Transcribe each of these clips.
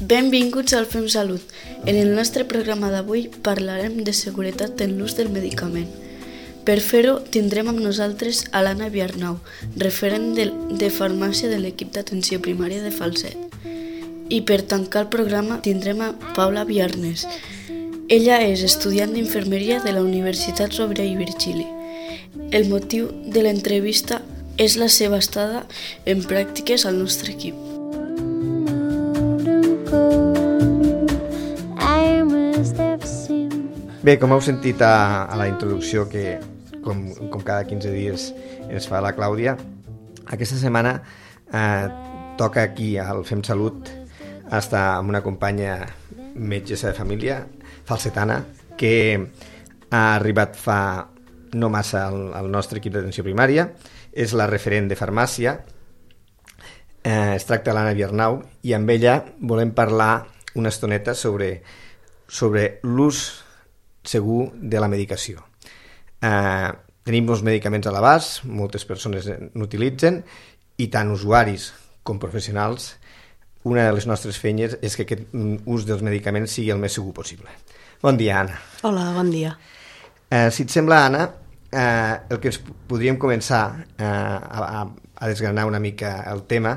Benvinguts al Fem Salut. En el nostre programa d'avui parlarem de seguretat en l'ús del medicament. Per fer-ho tindrem amb nosaltres a l'Anna Viarnau, referent de farmàcia de l'equip d'atenció primària de Falset. I per tancar el programa tindrem a Paula Viarnes. Ella és estudiant d'infermeria de la Universitat Rovira i Virgili. El motiu de l'entrevista és la seva estada en pràctiques al nostre equip. Bé, com heu sentit a la introducció que, com cada 15 dies ens fa la Clàudia, aquesta setmana toca aquí al Fem Salut estar amb una companya metgessa de família, falsetana, que ha arribat fa no massa al nostre equip d'atenció primària, és la referent de farmàcia, es tracta de l'Anna Viarnau, i amb ella volem parlar una estoneta sobre l'ús segur de la medicació. Tenim molts medicaments a l'abast, moltes persones n'utilitzen, i tant usuaris com professionals, una de les nostres feines és que aquest ús dels medicaments sigui el més segur possible. Bon dia, Anna. Hola, bon dia. Si et sembla, Anna, el que podríem començar a desgranar una mica el tema,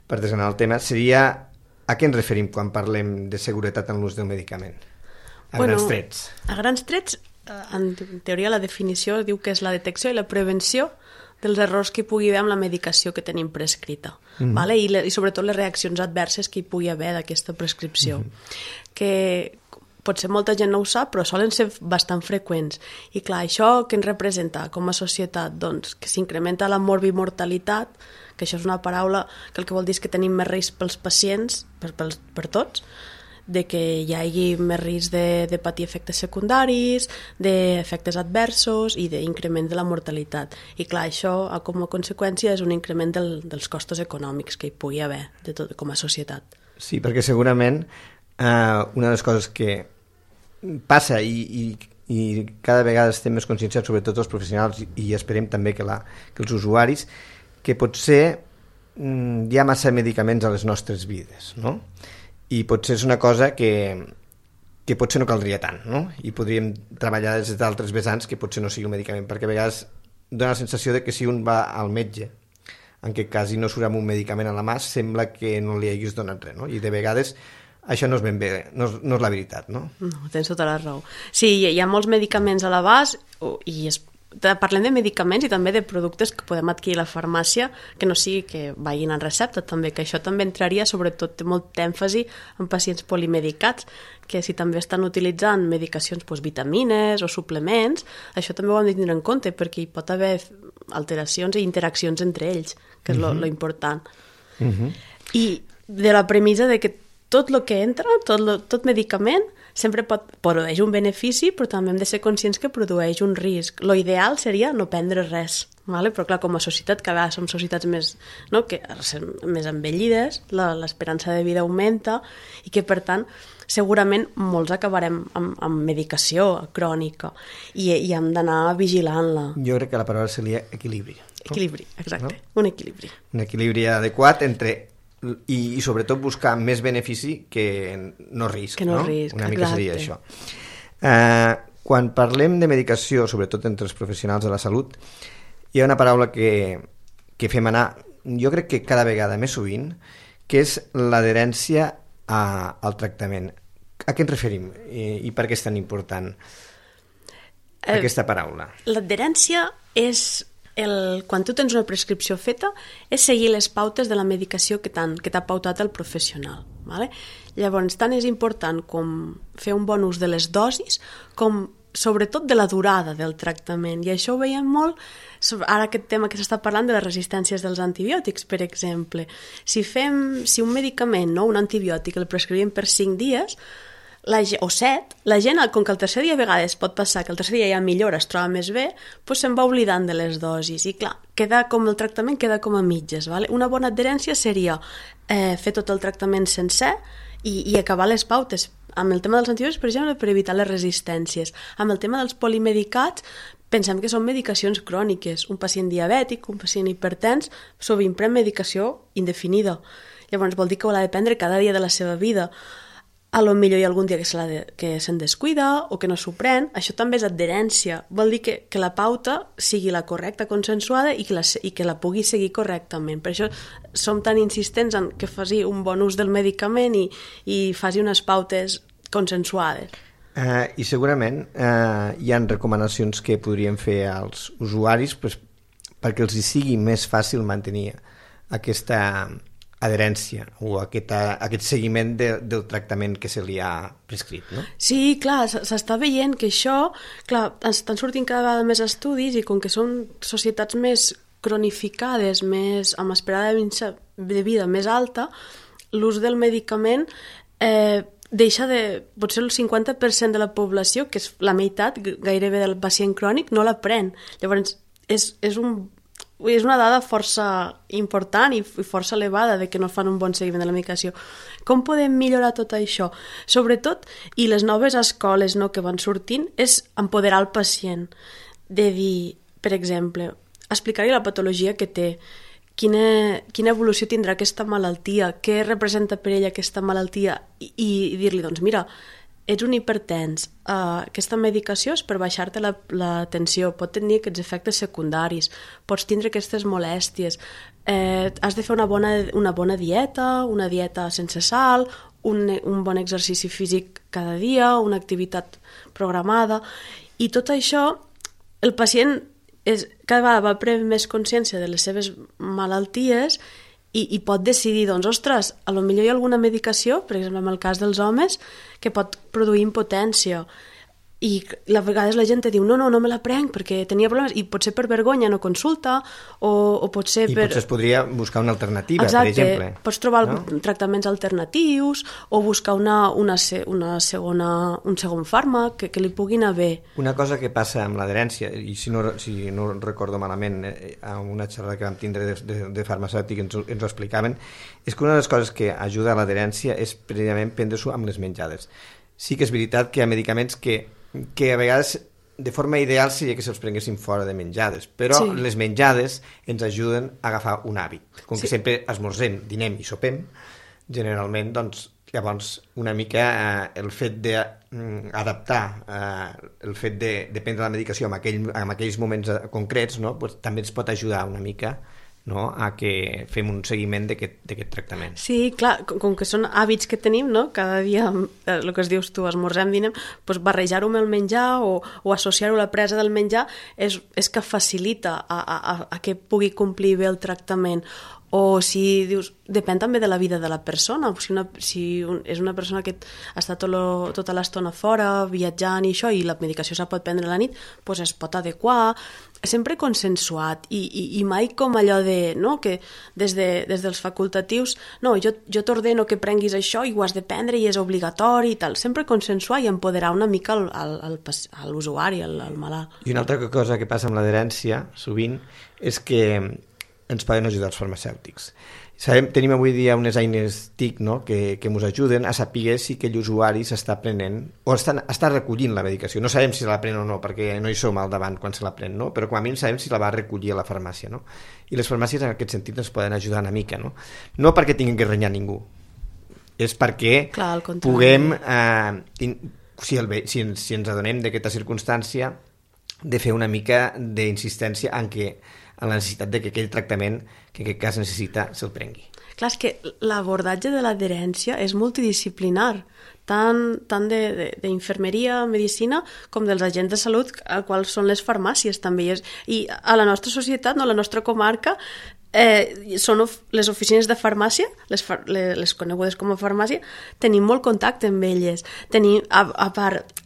per desgranar el tema, seria a què ens referim quan parlem de seguretat en l'ús del medicament? Grans trets. A grans trets, en teoria la definició diu que és la detecció i la prevenció dels errors que hi pugui haver amb la medicació que tenim prescrita, vale? I sobretot les reaccions adverses que hi pugui haver d'aquesta prescripció, que potser molta gent no ho sap, però solen ser bastant freqüents. I clar, això què ens representa com a societat? Doncs que s'incrementa la morbimortalitat, que això és una paraula que el que vol dir és que tenim més risc pels pacients, per tots, de que hi hagi més risc de patir efectes secundaris, d'efectes adversos i d'increment de la mortalitat. I clar, això com a conseqüència és un increment dels costos econòmics que hi pugui haver com a societat. Sí, perquè segurament una de les coses que passa i cada vegada estem més conscienciats, sobretot els professionals i esperem també que els usuaris, que potser hi ha massa medicaments a les nostres vides, no? I potser és una cosa que potser no caldria tant, no? I podríem treballar des d'altres vessants que potser no sigui un medicament, perquè a vegades dona la sensació de que si un va al metge, en aquest cas i no surt amb un medicament a la mà, sembla que no li haguis donat res, no? I de vegades això no és ben bé, no és la veritat, no? No, tens tota la raó. Sí, hi ha molts medicaments a l'abast i parlem de medicaments i també de productes que podem adquirir a la farmàcia que no sigui que vagin en recepta també, que això també entraria, sobretot té molt èmfasi en pacients polimedicats, que si també estan utilitzant medicacions, vitamines o suplements, això també ho hem de tenir en compte perquè hi pot haver alteracions i interaccions entre ells, que és lo important. I de la premissa de que tot el que entra, tot medicament, sempre produeix un benefici, però també hem de ser conscients que produeix un risc. Lo ideal seria no prendre res, vale? Però clar, com a societat, que a vegades som societats més envellides, l'esperança de vida augmenta i que, per tant, segurament molts acabarem amb medicació crònica i hem d'anar vigilant-la. Jo crec que la paraula seria equilibri. Equilibri, exacte, no? Un equilibri. Un equilibri adequat entre i sobretot buscar més benefici que no risc, no? Una mica seria això. Quan parlem de medicació, sobretot entre els professionals de la salut, hi ha una paraula que fem anar, jo crec que cada vegada més sovint, que és l'adherència al tractament. A què ens referim i per què és tan important aquesta paraula? L'adherència és quan tu tens una prescripció feta, és seguir les pautes de la medicació que t'ha pautat el professional. Vale? Llavors, tant és important com fer un bon ús de les dosis, com sobretot de la durada del tractament. I això ho veiem molt, ara aquest tema que s'està parlant de les resistències dels antibiòtics, per exemple. Si un medicament, un antibiòtic, el prescrivim per 5 dies, o 7, la gent, com que el tercer dia a vegades pot passar que el tercer dia ja millora, es troba més bé, doncs se'n va oblidant de les dosis i clar, el tractament queda com a mitges. Vale? Una bona adherència seria fer tot el tractament sencer i acabar les pautes. Amb el tema dels antibiòtics, per exemple, per evitar les resistències. Amb el tema dels polimedicats, pensem que són medicacions cròniques. Un pacient diabètic, un pacient hipertens, sovint pren medicació indefinida. Llavors vol dir que ho ha de prendre cada dia de la seva vida. A lo millor hi ha algun dia que se'n descuida o que no s'ho pren. Això també és adherència. Vol dir que la pauta sigui la correcta, consensuada i que la pugui seguir correctament. Per això som tan insistents en que faci un bon ús del medicament i faci unes pautes consensuades. I segurament hi ha recomanacions que podríem fer als usuaris perquè els hi sigui més fàcil mantenir aquesta adherència o aquest seguiment del tractament que se li ha prescrit, no? Sí, clar, s'està veient que això, clar, estan sortint cada vegada més estudis i com que són societats més cronificades, més amb esperada de vida més alta, l'ús del medicament deixa de... Potser el 50% de la població, que és la meitat gairebé del pacient crònic, no la pren. Llavors, és una dada força important i força elevada de que no fan un bon seguiment de la medicació. Com podem millorar tot això? Sobretot, i les noves escoles que van sortint, és empoderar el pacient. De dir, per exemple, explicar-li la patologia que té, quina evolució tindrà aquesta malaltia, què representa per ella aquesta malaltia i dir-li, doncs mira, ets un hipertens, aquesta medicació és per baixar-te la tensió, pot tenir aquests efectes secundaris, pots tindre aquestes molèsties, has de fer una bona dieta, una dieta sense sal, un bon exercici físic cada dia, una activitat programada, i tot això el pacient cada vegada va prenent més consciència de les seves malalties i pot decidir, doncs, ostres, a lo millor hi ha alguna medicació, per exemple, en el cas dels homes, que pot produir impotència. I a vegades la gent diu, no me la prenc perquè tenia problemes, i potser per vergonya no consulta, o potser per... I potser es podria buscar una alternativa, exacte, per exemple. Pots trobar tractaments alternatius, o buscar un segon fàrmac que li puguin anar bé. Una cosa que passa amb l'adherència, i si no recordo malament, a una xerrada que vam tindre de farmacèutic ens ho explicaven, és que una de les coses que ajuda a l'adherència és precisament prendre-s'ho amb les menjades. Sí que és veritat que hi ha medicaments que a vegades de forma ideal seria que se'ls prenguessin fora de menjades, però les menjades ens ajuden a agafar un hàbit. Com que sempre esmorzem, dinem i sopem, generalment, doncs, llavors una mica el fet d'adaptar el fet de prendre la medicació en aquells moments concrets, no? Pues, també ens pot ajudar una mica, no? A que fem un seguiment d'aquest tractament. Sí, clar, com que són hàbits que tenim, no? Cada dia, el que es dius tu, esmorzem, dinem, doncs barrejar-ho amb el menjar o associar-ho a la presa del menjar és que facilita a que pugui complir bé el tractament. O si dius, depèn també de la vida de la persona, si és una persona que està tota l'estona fora, viatjant i això, i la medicació se pot prendre a la nit, doncs es pot adequar, sempre consensuat, i mai com allò de, no?, que des dels facultatius, no, jo t'ordeno que prenguis això i ho has de prendre i és obligatori i tal, sempre consensuar i empoderar una mica l'usuari, el malalt. I una altra cosa que passa amb l'adherència, sovint, és que ens poden ajudar els farmacèutics. Tenim avui dia unes eines TIC, no?, que ens ajuden a saber si aquell usuari s'està prenent o està recollint la medicació. No sabem si se la pren o no, perquè no hi som al davant quan se la pren, no? Però com a mínim sabem si la va recollir a la farmàcia, no? I les farmàcies en aquest sentit ens poden ajudar una mica, no? No perquè tinguin que renyar ningú, és perquè puguem, si ens adonem d'aquesta circumstància, de fer una mica d'insistència en la necessitat de que aquell tractament que en aquest cas necessita se'l prengui. Clar, és que l'abordatge de l'adherència és multidisciplinar, tant d'infermeria, medicina, com dels agents de salut, al qual són les farmàcies també. I a la nostra societat, no, a la nostra comarca, són les oficines de farmàcia, les conegudes com a farmàcia, tenim molt contacte amb elles. A part,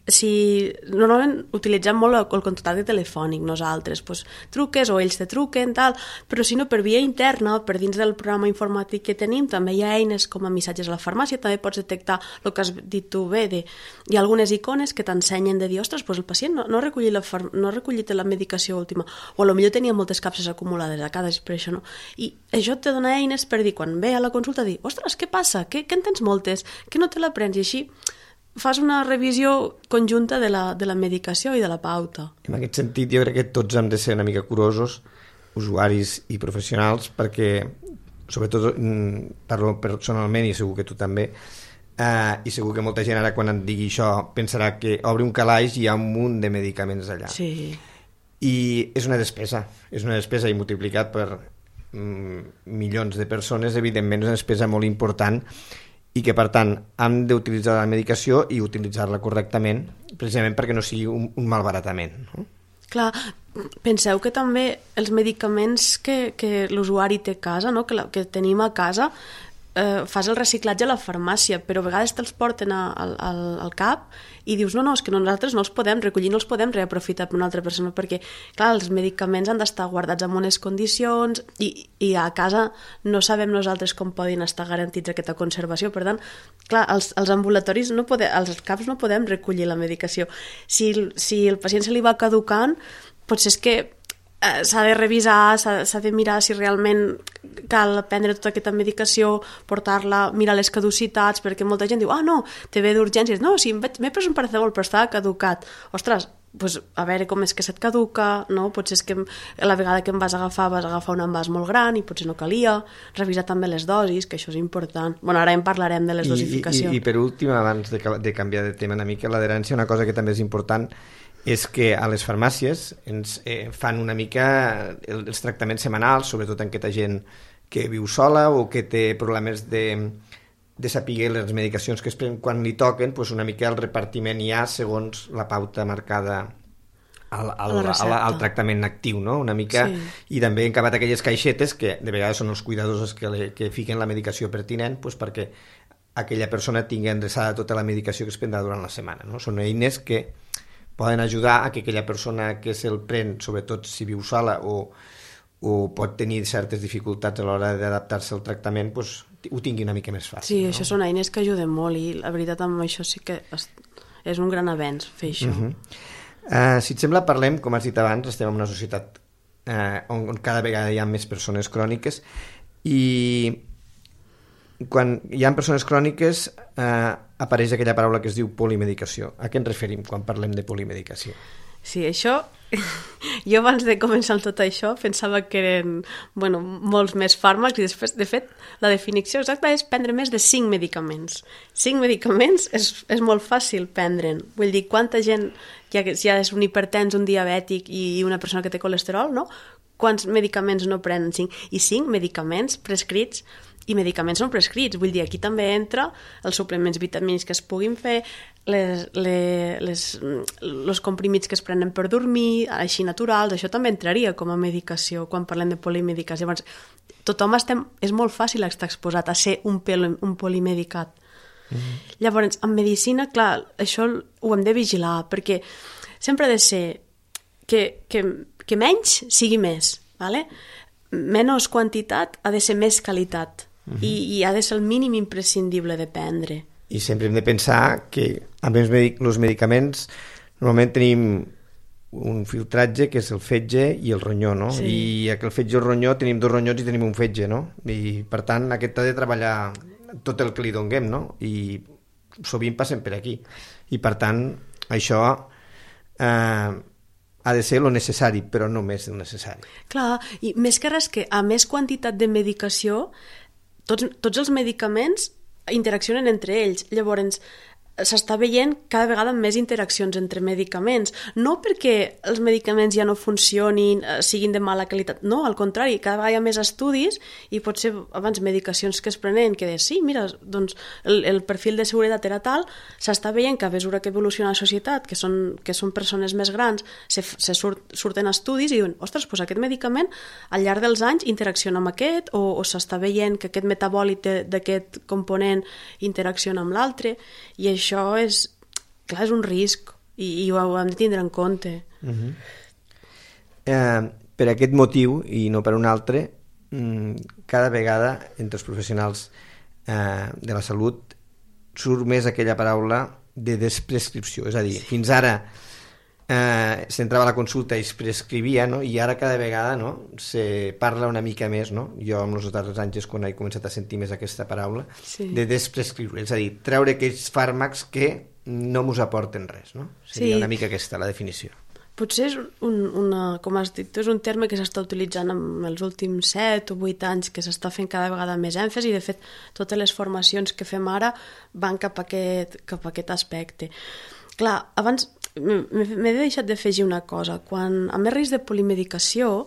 normalment utilitzem molt el contacte telefònic nosaltres, doncs truques o ells te truquen, tal, però si no, per via interna, per dins del programa informàtic que tenim, també hi ha eines com a missatges a la farmàcia, també pots detectar el que has dit tu bé, hi ha algunes icones que t'ensenyen de dir, ostres, doncs el pacient no ha recollit la medicació última, o potser tenia moltes capses acumulades a cada, per això no. I això te dona eines per dir, quan ve a la consulta, dir, ostres, què passa? Que en tens moltes? Que no te la prens? I així fas una revisió conjunta de la medicació i de la pauta. En aquest sentit, jo crec que tots hem de ser una mica curosos, usuaris i professionals, perquè sobretot parlo personalment i segur que tu també, i segur que molta gent ara quan et digui això pensarà que obre un calaix i hi ha un munt de medicaments allà. Sí. I és una despesa i multiplicat per milions de persones, evidentment és una despesa molt important i que per tant hem d'utilitzar la medicació i utilitzar-la correctament precisament perquè no sigui un malbaratament, no? Clar, penseu que també els medicaments que l'usuari té a casa, no? que tenim a casa, fas el reciclatge a la farmàcia, però a vegades te'ls porten al CAP i dius, no, és que nosaltres no els podem recollir, no els podem reaprofitar per una altra persona, perquè, clar, els medicaments han d'estar guardats en unes condicions i a casa no sabem nosaltres com poden estar garantits aquesta conservació. Per tant, clar, els ambulatoris, als CAPs no podem recollir la medicació. Si el pacient se li va caducant, potser és que s'ha de revisar, s'ha de mirar si realment cal prendre tota aquesta medicació, portar-la, mirar les caducitats, perquè molta gent diu, no, te ve d'urgències, no, sí, m'he pres un paracetamol però estava caducat. Ostres, doncs a veure com és que se't caduca, no? Potser és que la vegada que em vas agafar un envàs molt gran i potser no calia, revisar també les dosis, que això és important. Bueno, ara en parlarem de les dosificacions. I per últim, abans de canviar de tema una mica, l'adherència, una cosa que també és important és que a les farmàcies ens fan una mica els tractaments setmanals, sobretot en aquesta gent que viu sola o que té problemes de saber les medicacions que es prenen quan li toquen, doncs una mica el repartiment hi ha segons la pauta marcada al tractament actiu, no? Una mica, sí. I també han acabat aquelles caixetes que de vegades són els cuidadors que fiquen la medicació pertinent doncs perquè aquella persona tingui endreçada tota la medicació que es prendrà durant la setmana, no? Són eines que poden ajudar a que aquella persona que se'l pren, sobretot si viu sola o pot tenir certes dificultats a l'hora d'adaptar-se al tractament, doncs, ho tingui una mica més fàcil. Sí, no? Això són eines que ajuden molt i la veritat amb això sí que és un gran avenç fer això. Si et sembla, parlem, com has dit abans, estem en una societat on cada vegada hi ha més persones cròniques i quan hi ha persones cròniques apareix aquella paraula que es diu polimedicació. A què ens referim quan parlem de polimedicació? Sí, això... Jo abans de començar tot això pensava que eren molts més fàrmacs i després, de fet, la definició exacta és prendre més de 5 medicaments. 5 medicaments és molt fàcil prendre'n. Vull dir, quanta gent, ja és un hipertens, un diabètic i una persona que té colesterol, no? Quants medicaments no prenen 5? I 5 medicaments prescrits i medicaments no prescrits. Vull dir, aquí també entra els suplements vitamínics que es puguin fer, els comprimits que es prenen per dormir, així naturals, això també entraria com a medicació quan parlem de polimedicació. Llavors, tothom és molt fàcil estar exposat a ser un polimedicat. Llavors, en medicina, clar, això ho hem de vigilar, perquè sempre ha de ser que menys sigui més, ¿vale? Menys quantitat ha de ser més qualitat. I ha de ser el mínim imprescindible de prendre. I sempre hem de pensar que amb els medicaments normalment tenim un filtratge que és el fetge i el ronyó, no? Sí. I aquell fetge i el ronyó tenim 2 ronyons i tenim un fetge, no? I per tant aquest ha de treballar tot el que li donem, no? I sovint passem per aquí. I per tant això ha de ser lo necessari, però no més del necessari. Clar, i més que res que a més quantitat de medicació tots els medicaments interaccionen entre ells. Llavors, s'està veient cada vegada més interaccions entre medicaments. No perquè els medicaments ja no funcionin, siguin de mala qualitat. No, al contrari, cada vegada hi ha més estudis i potser abans medicacions que es prenen que sí, mira, doncs el perfil de seguretat era tal, s'està veient que a mesura que evoluciona la societat, que són persones més grans, surten estudis i diuen, ostres, doncs aquest medicament al llarg dels anys interacciona amb aquest o s'està veient que aquest metabòlit d'aquest component interacciona amb l'altre i això és un risc i ho hem de tindre en compte. Per aquest motiu i no per un altre, cada vegada entre els professionals de la salut surt més aquella paraula de desprescripció, és a dir, fins ara s'entrava a la consulta i es prescrivia, no? I ara cada vegada, no? Se parla una mica més, no? Jo amb els darrers anys és quan he començat a sentir més aquesta paraula, sí, de desprescriure, és a dir, treure aquells fàrmacs que no mos aporten res, no? Seria una mica aquesta la definició. potser és com has dit, és un terme que s'està utilitzant en els últims 7 o 8 anys, que s'està fent cada vegada més èmfasi, i de fet totes les formacions que fem ara van cap a aquest aspecte. Clar, abans m'he deixat d'afegir una cosa. Quan a més risc de polimedicació,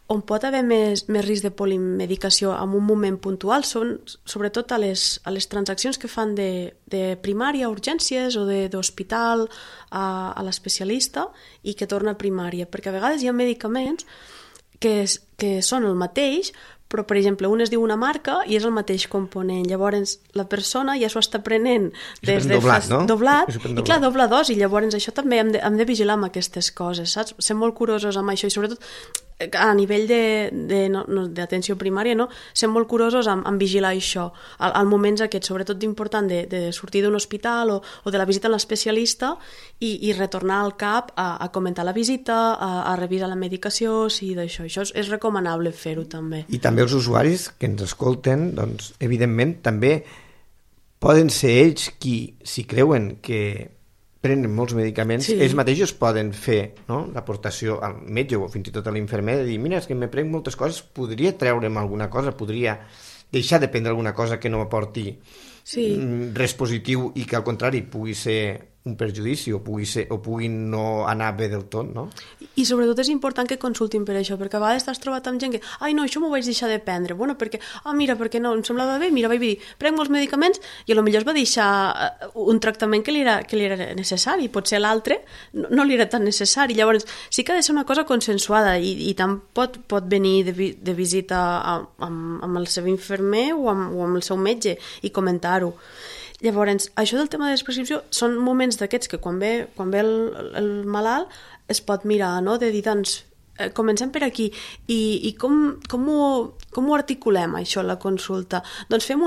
on pot haver més risc de polimedicació en un moment puntual són sobretot a les transaccions que fan de primària a urgències o d'hospital a l'especialista i que torna a primària, perquè a vegades hi ha medicaments que són el mateix, però, per exemple, un es diu una marca i és el mateix component. Llavors, la persona ja s'ho està prenent des de doblat, i clar, doble dosi. Llavors, això també hem de vigilar amb aquestes coses, saps? Ser molt curosos amb això i, sobretot, a nivell d'atenció primària, no? Ser molt curosos en vigilar això, als moments aquests, sobretot important de sortir d'un hospital o de la visita a l'especialista i retornar al CAP a comentar la visita, a revisar la medicació, sí, d'això. Això és recomanable fer-ho també. I també els usuaris que ens escolten, doncs, evidentment, també poden ser ells qui, si creuen que prenen molts medicaments, ells mateixos poden fer, no?, l'aportació al metge o fins i tot a l'infermer de dir, mira, és que me prenc moltes coses, podria treure'm alguna cosa, podria deixar de prendre alguna cosa que no m'aporti res positiu i que al contrari pugui ser un perjudici o pugui no anar bé del tot, no? I sobretot és important que consultin per això, perquè a vegades t'has trobat amb gent que ai no, això m'ho vaig deixar de prendre, bueno, perquè perquè no, em semblava bé, mira, vaig dir, prenc molts medicaments i potser es va deixar un tractament que li era necessari, potser l'altre no li era tan necessari. Llavors sí que ha de ser una cosa consensuada i tant pot venir de visita amb el seu infermer o amb el seu metge i comentar-ho. Llavors, això del tema de la prescripció són moments d'aquests que quan ve el malalt es pot mirar, no?, de dir, doncs, comencem per aquí i com ho articulem, això, la consulta? Doncs fem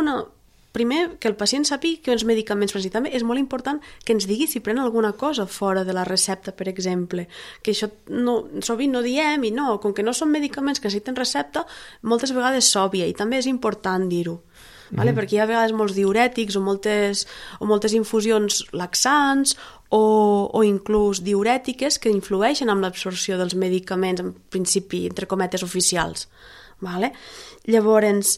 primer, que el pacient sàpiga quins medicaments pren. També és molt important que ens digui si pren alguna cosa fora de la recepta, per exemple, que això sovint no diem i no, com que no són medicaments que necessiten recepta, moltes vegades s'òbvia i també és important dir-ho. Vale? Perquè hi ha a vegades molts diurètics o moltes infusions laxants o inclús diurètiques que influeixen en l'absorció dels medicaments, en principi, entre cometes, oficials. Vale? Llavors,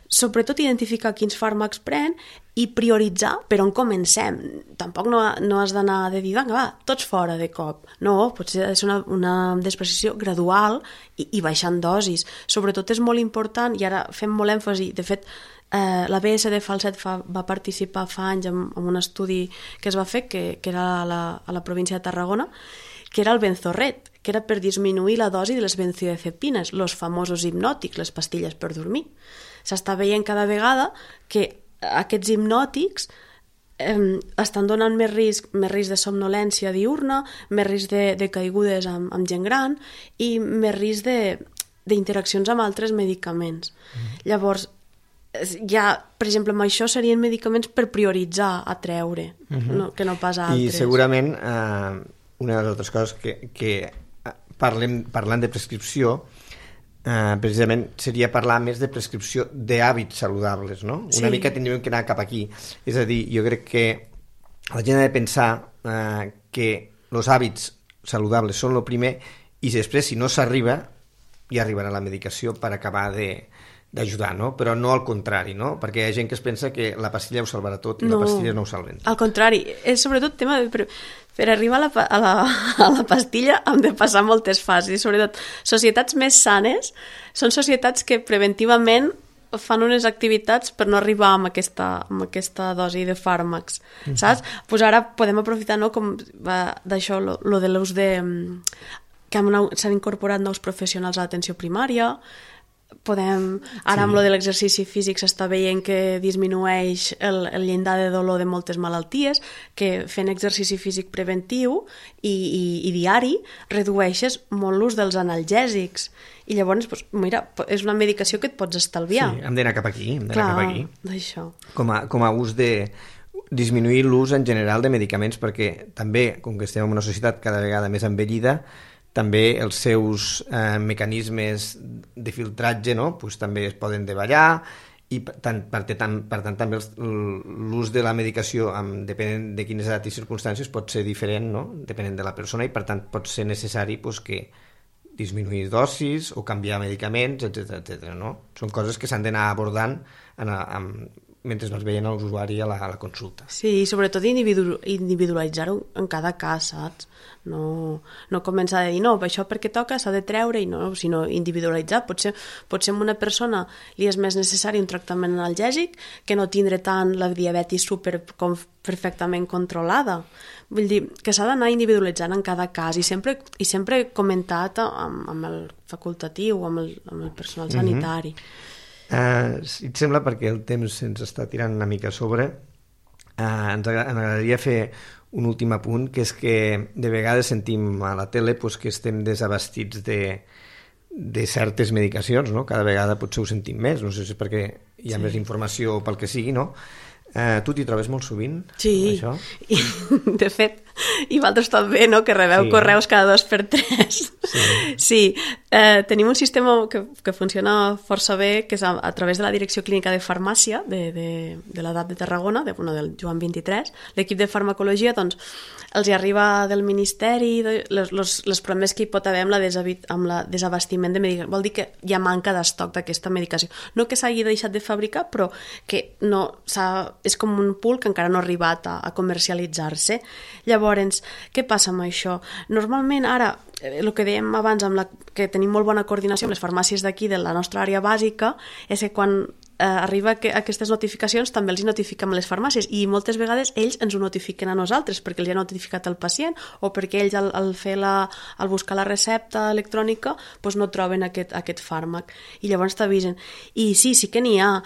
sobretot identificar quins fàrmacs pren i prioritzar per on comencem. Tampoc no has d'anar de dir, va, tots fora de cop. No, potser ha de ser una desprescripció gradual i baixant dosis. Sobretot és molt important, i ara fem molt èmfasi, de fet, la BSD Falset va participar fa anys en un estudi que es va fer, que era a la província de Tarragona, que era el Benzorret, que era per disminuir la dosi de les benzodiazepines, els famosos hipnòtics, les pastilles per dormir. S'està veient cada vegada que aquests hipnòtics estan donant més risc de somnolència diurna, més risc de caigudes amb gent gran i més risc d'interaccions amb altres medicaments. Llavors, per exemple, amb això serien medicaments per prioritzar a treure, que no pas a altres. I segurament una de les altres coses que parlant de prescripció, precisament seria parlar més de prescripció d'hàbits saludables, no? Una mica tindríem que anar cap aquí. És a dir, jo crec que la gent ha de pensar que els hàbits saludables són el primer i després, si no s'arriba, ja arribarà la medicació per acabar d'ajudar, no? Però no al contrari, no? Perquè hi ha gent que es pensa que la pastilla ho salvarà tot i la pastilla no ho salven. Al contrari, és sobretot tema per arribar a la pastilla hem de passar moltes fases i sobretot societats més sanes són societats que preventivament fan unes activitats per no arribar amb aquesta dosi de fàrmacs, saps? Pues ara podem aprofitar, no, com d'això, lo de l'ús que s'han incorporat nous professionals a l'atenció primària. Ara amb lo de l'exercici físic s'està veient que disminueix el llindar de dolor de moltes malalties, que fent exercici físic preventiu i diari redueixes molt l'ús dels analgèsics i llavors, mira, és una medicació que et pots estalviar. Sí, hem d'anar cap aquí. D'això. Com a ús de disminuir l'ús en general de medicaments, perquè també, com que estem en una societat cada vegada més envellida, també els seus mecanismes de filtratge, no? Pues també es poden davallar i per tant també l'ús de la medicació depenent de quines edats i circumstàncies pot ser diferent, no? Depenent de la persona, i per tant pot ser necessari que disminuir dosis o canviar medicaments, etc. No? Són coses que s'han d'anar abordant mentre vas veient l'usuari a la consulta. Sí, i sobretot individualitzar-ho en cada cas, saps? No començar a dir, no, això perquè toca s'ha de treure, i no, sinó individualitzar. Potser a una persona li és més necessari un tractament analgèsic que no tindre tant la diabetis perfectament controlada. Vull dir que s'ha d'anar individualitzant en cada cas, i sempre comentat amb el facultatiu, amb el personal sanitari. Si et sembla, perquè el temps ens està tirant una mica a sobre, ens agradaria fer un últim apunt, que és que de vegades sentim a la tele que estem desabastits de certes medicacions, no? Cada vegada potser ho sentim més, no sé si és perquè hi ha més informació o pel que sigui, no? Tu t'hi trobes molt sovint? Sí, això? De fet, i vosaltres també, no?, que rebeu correus cada 2x3. Sí, tenim un sistema que funciona força bé, que és a través de la Direcció Clínica de Farmàcia de l'edat de Tarragona, del Joan 23, l'equip de farmacologia, doncs, els hi arriba del Ministeri els problemes que hi pot haver amb la desabastiment de medicació. Vol dir que hi ha manca d'estoc d'aquesta medicació. No que s'hagi deixat de fabricar, però que és com un pool que encara no ha arribat a comercialitzar-se. Llavors, què passa amb això? Normalment, ara, el que dèiem abans, que tenim molt bona coordinació amb les farmàcies d'aquí, de la nostra àrea bàsica, és que quan arriba aquestes notificacions també els notifiquem a les farmàcies, i moltes vegades ells ens ho notifiquen a nosaltres perquè els ha notificat el pacient, o perquè ells al buscar la recepta electrònica doncs no troben aquest fàrmac, i llavors t'avisen. I sí que n'hi ha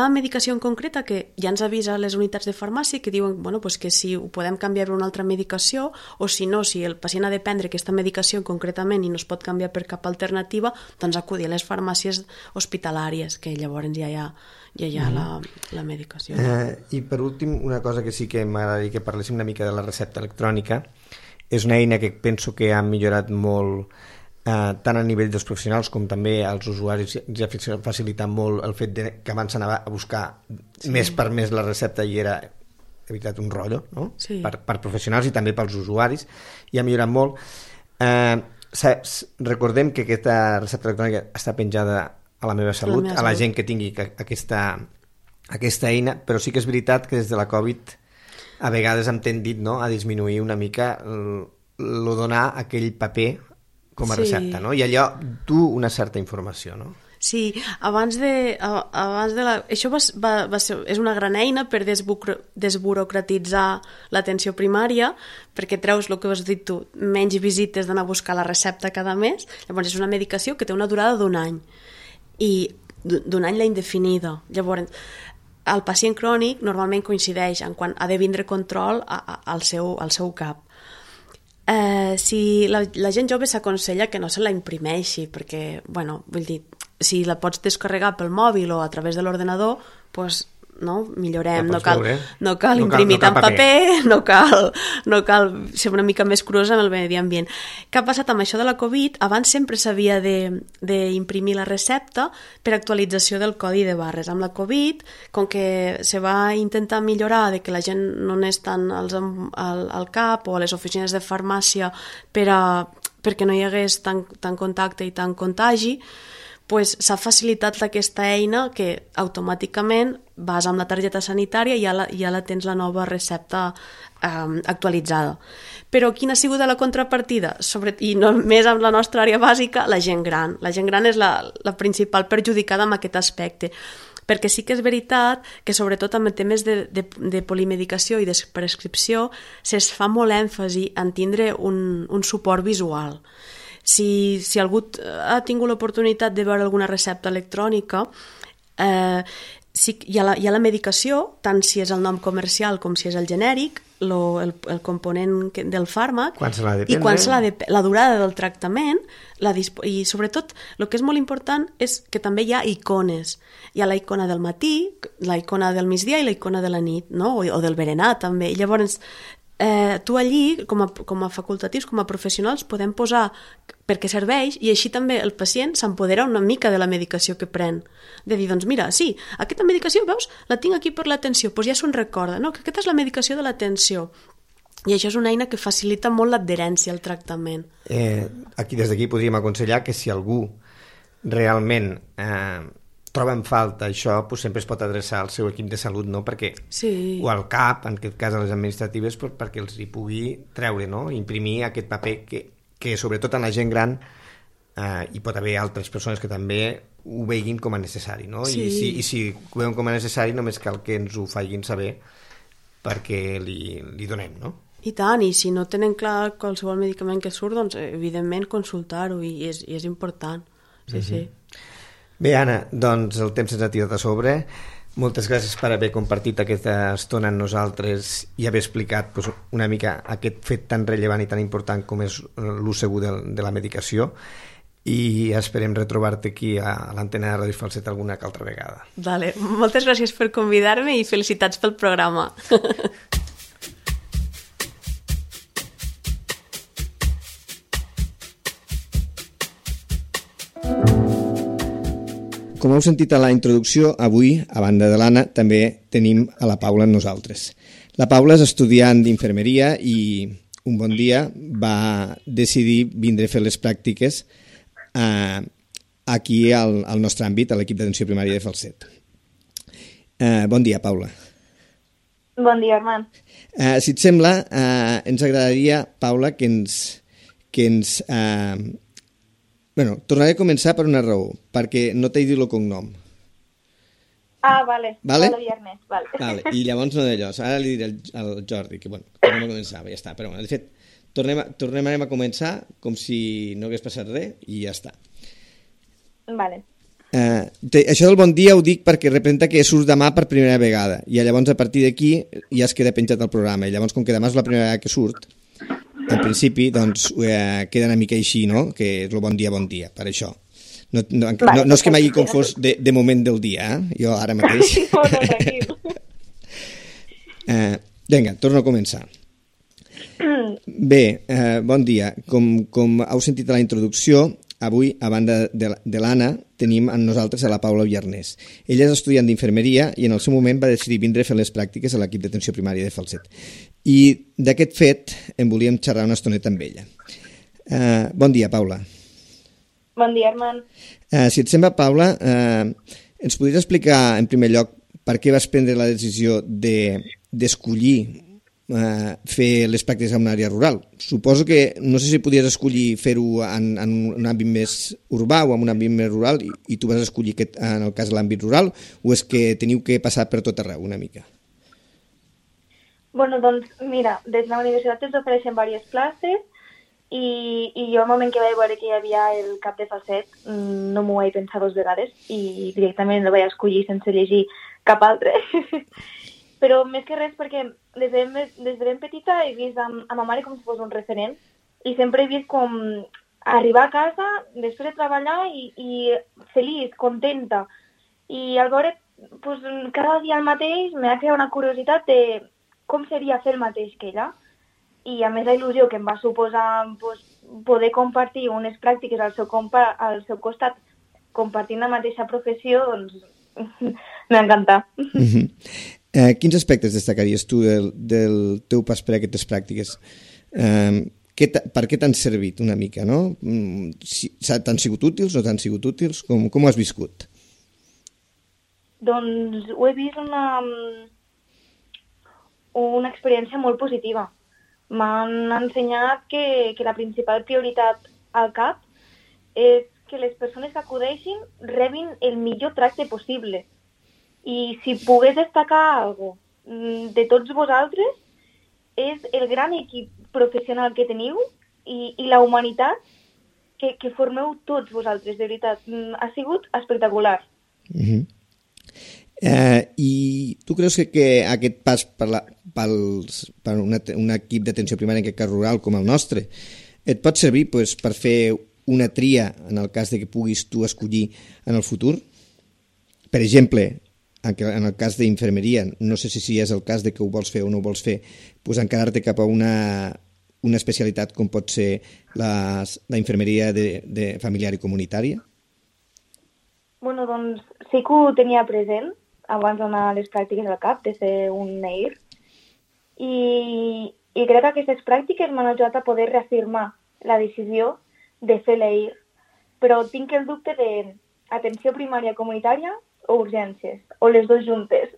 medicació en concreta que ja ens avisa les unitats de farmàcia, que diuen que si ho podem canviar per una altra medicació, o si no, si el pacient ha de prendre aquesta medicació concretament i no es pot canviar per cap alternativa, doncs acudir a les farmàcies hospitalàries, que llavors ja hi ha la medicació. I per últim, una cosa que sí que m'agradaria que parléssim una mica de la recepta electrònica. És una eina que penso que ha millorat molt, tant a nivell dels professionals com també als usuaris. Ja ha facilitat molt el fet que abans s'anava a buscar mes per mes la recepta i era, de veritat, un rotllo, no? Sí. Per professionals i també pels usuaris, i ha millorat molt. Recordem que aquesta recepta electrònica està penjada a la meva salut, a la gent que tingui aquesta eina, però sí que és veritat que des de la Covid a vegades hem tendit, no?, a disminuir una mica el donar aquell paper com a recepta, no? I allò du una certa informació, no? Sí, això és una gran eina per desburocratitzar l'atenció primària, perquè treus el que has dit tu, menys visites d'anar a buscar la recepta cada mes. Llavors és una medicació que té una durada d'1 any, i d'un any la indefinida. Llavors, el pacient crònic normalment coincideix en quan ha de vindre control al seu cap. Si la gent jove s'aconsella que no se la imprimeixi, perquè, vull dir, si la pots descarregar pel mòbil o a través de l'ordenador, doncs millorem, no cal imprimir tant paper, no cal ser una mica més curosa amb el medi ambient. Què ha passat amb això de la Covid? Abans sempre s'havia d'imprimir la recepta per actualització del codi de barres. Amb la Covid, com que se va intentar millorar de que la gent no anés tant al CAP o a les oficines de farmàcia perquè no hi hagués tant contacte i tant contagi, s'ha facilitat aquesta eina que automàticament vas amb la targeta sanitària i ja la tens la nova recepta actualitzada. Però quina ha sigut la contrapartida? I només amb la nostra àrea bàsica, la gent gran. La gent gran és la principal perjudicada en aquest aspecte, perquè sí que és veritat que sobretot amb temes de polimedicació i de prescripció es fa molt èmfasi en tindre un suport visual. Si algú ha tingut l'oportunitat de veure alguna recepta electrònica, hi ha la medicació, tant si és el nom comercial com si és el genèric, el component del fàrmac, i quan se l'ha de prendre, la durada del tractament, i sobretot el que és molt important és que també hi ha icones. Hi ha la icona del matí, la icona del migdia i la icona de la nit, no? O del berenar també. I llavors tu allí, com a facultatius, com a professionals, podem posar per què serveix i així també el pacient s'empodera una mica de la medicació que pren. De dir, doncs mira, sí, aquesta medicació, veus, la tinc aquí per l'atenció, doncs ja se'n recorda, no? Que aquesta és la medicació de l'atenció. I això és una eina que facilita molt l'adherència al tractament. Des d'aquí podríem aconsellar que si algú realment troba en falta això, doncs sempre es pot adreçar al seu equip de salut, no? Perquè, sí. O al CAP, en aquest cas a les administratives, perquè els hi pugui treure, no? Imprimir aquest paper que sobretot en la gent gran hi pot haver altres persones que també ho veguin com a necessari, no? Sí. I si ho veuen com a necessari només cal que ens ho facin saber perquè li donem, no? I tant, i si no tenen clar qualsevol medicament que surt, doncs evidentment consultar-ho i és important. Sí, sí. Bé, Anna, doncs el temps ens ha tirat a sobre. Moltes gràcies per haver compartit aquesta estona amb nosaltres i haver explicat doncs, una mica aquest fet tan rellevant i tan important com és l'ús segur de la medicació, i esperem retrobar-te aquí a l'antena de Ràdio Falset alguna que altra vegada. Vale. Moltes gràcies per convidar-me i felicitats pel programa. Com heu sentit a la introducció, avui, a banda de l'Anna, també tenim a la Paula amb nosaltres. La Paula és estudiant d'infermeria i un bon dia va decidir vindre a fer les pràctiques aquí al nostre àmbit, a l'equip d'atenció primària de Falset. Bon dia, Paula. Bon dia, Armand. Si et sembla, ens agradaria, Paula, que ens tornaré a començar per una raó, perquè no t'he dit el cognom. Ah, vale. Vale? Viernes, vale. Vale. I llavors no d'allò. Ara li diré al Jordi que, tornem a començar, ja està. Però, de fet, tornem a començar com si no hagués passat res i ja està. Vale. Això del bon dia ho dic perquè representa que surt demà per primera vegada i llavors a partir d'aquí ja es queda penjat el programa i llavors com que demà és la primera vegada que surt, en principi doncs queda una mica així, no? Que és el bon dia, per això. No és que m'hagi confós de moment del dia, jo ara mateix. Vinga, torno a començar. Bé, bon dia. Com heu sentit a la introducció, avui, a banda de l'Anna, tenim amb nosaltres a la Paula Viarnés. Ella és estudiant d'infermeria i en el seu moment va decidir vindre a fer les pràctiques a l'equip d'atenció primària de Falset. I d'aquest fet en volíem xerrar una estoneta amb ella. Bon dia, Paula. Bon dia, Armand. Si et sembla, Paula, ens podries explicar en primer lloc per què vas prendre la decisió d'escollir fer les pràctiques en una àrea rural? Suposo que no sé si podies escollir fer-ho en un àmbit més urbà o en un àmbit més rural i tu vas escollir en el cas de l'àmbit rural o és que teniu que passar per tot arreu una mica? Bueno, doncs mira, des de la universitat ens ofereixen diverses places i jo al moment que vaig veure que hi havia el CAP de Falset no m'ho vaig pensar dues vegades i directament el vaig escollir sense llegir cap altre. Però més que res perquè des de ben petita he vist a ma mare com si fos un referent i sempre he vist com arribar a casa després de treballar i feliç, contenta. I al veure pues, cada dia el mateix m'ha creat una curiositat de com seria fer el mateix que ella. I a més la il·lusió que em va suposar pues, poder compartir unes pràctiques al seu costat compartint la mateixa professió, doncs m'ha encantat. Quins aspectes destacaries tu del teu pas per aquestes pràctiques? Per què t'han servit una mica, no? T'han sigut útils o t'han sigut útils? Com ho has viscut? Doncs ho he vist una experiència molt positiva. M'han ensenyat que la principal prioritat al CAP és que les persones que acudeixin rebin el millor tracte possible. I si pogués destacar alguna cosa de tots vosaltres és el gran equip professional que teniu i la humanitat que formeu tots vosaltres, de veritat. Ha sigut espectacular. I tu creus que aquest pas per un equip d'atenció primària, en aquest cas rural com el nostre, et pot servir per fer una tria en el cas de que puguis tu escollir en el futur? Per exemple, en el cas d'infermeria, no sé si és el cas de que ho vols fer o no ho vols fer, pues encarar-te cap a una especialitat com pot ser la infermeria de familiar i comunitària? Bueno, doncs sí que ho tenia present abans d'anar a les pràctiques al CAP, de fer un NEIR, i crec que aquestes pràctiques m'han ajudat a poder reafirmar la decisió de fer l'EIR, però tinc el dubte de atenció primària comunitària o urgències, o les dues juntes,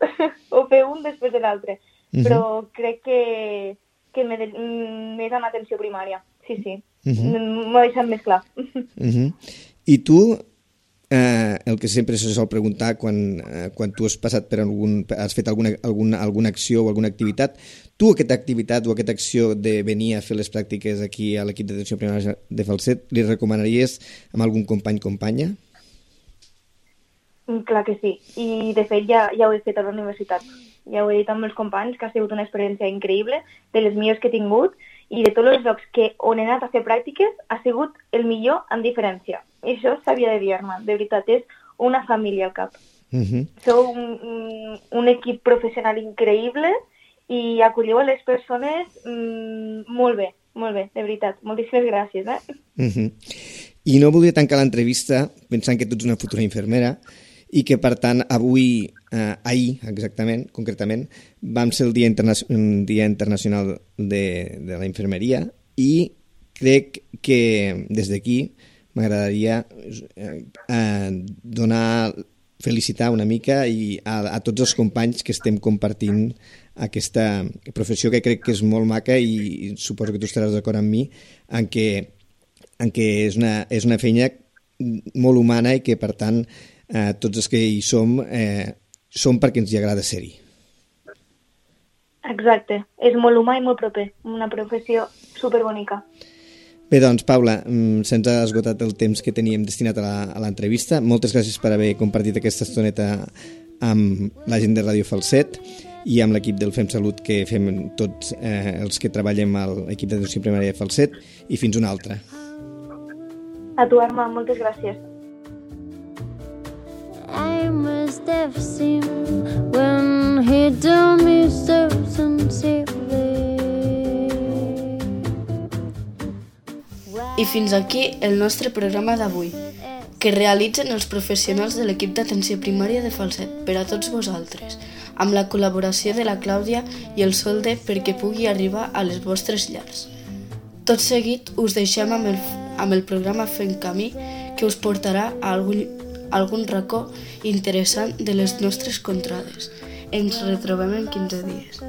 o fer un després de l'altre, però crec que més en atenció primària, sí, m'ho ha deixat més clar. I tu, el que sempre se sol preguntar quan tu has passat per has fet alguna acció o alguna activitat, tu aquesta activitat o aquesta acció de venir a fer les pràctiques aquí a l'equip d'atenció primària de Falset, li recomanaries a algun company o companya? Clar que sí, i de fet ja ho he fet a la universitat. Ja ho he dit amb els companys, que ha sigut una experiència increïble, de les millors que he tingut, i de tots els llocs on he anat a fer pràctiques ha sigut el millor en diferència. I això s'havia de dir-me. De veritat, és una família al CAP. Sou un equip professional increïble i acolliu a les persones molt bé, de veritat. Moltíssimes gràcies. I no voldria tancar l'entrevista pensant que tu ets una futura infermera i que, per tant, ahir exactament, concretament, vam ser el Dia Internacional de la Infermeria i crec que des d'aquí m'agradaria felicitar una mica a tots els companys que estem compartint aquesta professió que crec que és molt maca i suposo que tu estaràs d'acord amb mi en què és una feina molt humana i que, per tant, tots els que hi som perquè ens hi agrada ser-hi. Exacte, és molt humà i molt proper, una professió superbonica. Bé, doncs, Paula, se'ns ha esgotat el temps que teníem destinat a l'entrevista. Moltes gràcies per haver compartit aquesta estoneta amb la gent de Ràdio Falset i amb l'equip del Fem Salut que fem tots els que treballem a l'equip d'atenció primària de Falset, i fins una altra. A tu, Arma, moltes gràcies. I must have seen when he told me so sincerely. I fins aquí el nostre programa d'avui, que realitzen els professionals de l'equip d'atenció primària de Falset per a tots vosaltres, amb la col·laboració de la Clàudia i el Solde perquè pugui arribar a les vostres llars. Tot seguit us deixem amb el programa Fent Camí, que us portarà a algun racó interessant de les nostres contrades. Ens retrobem en 15 dies.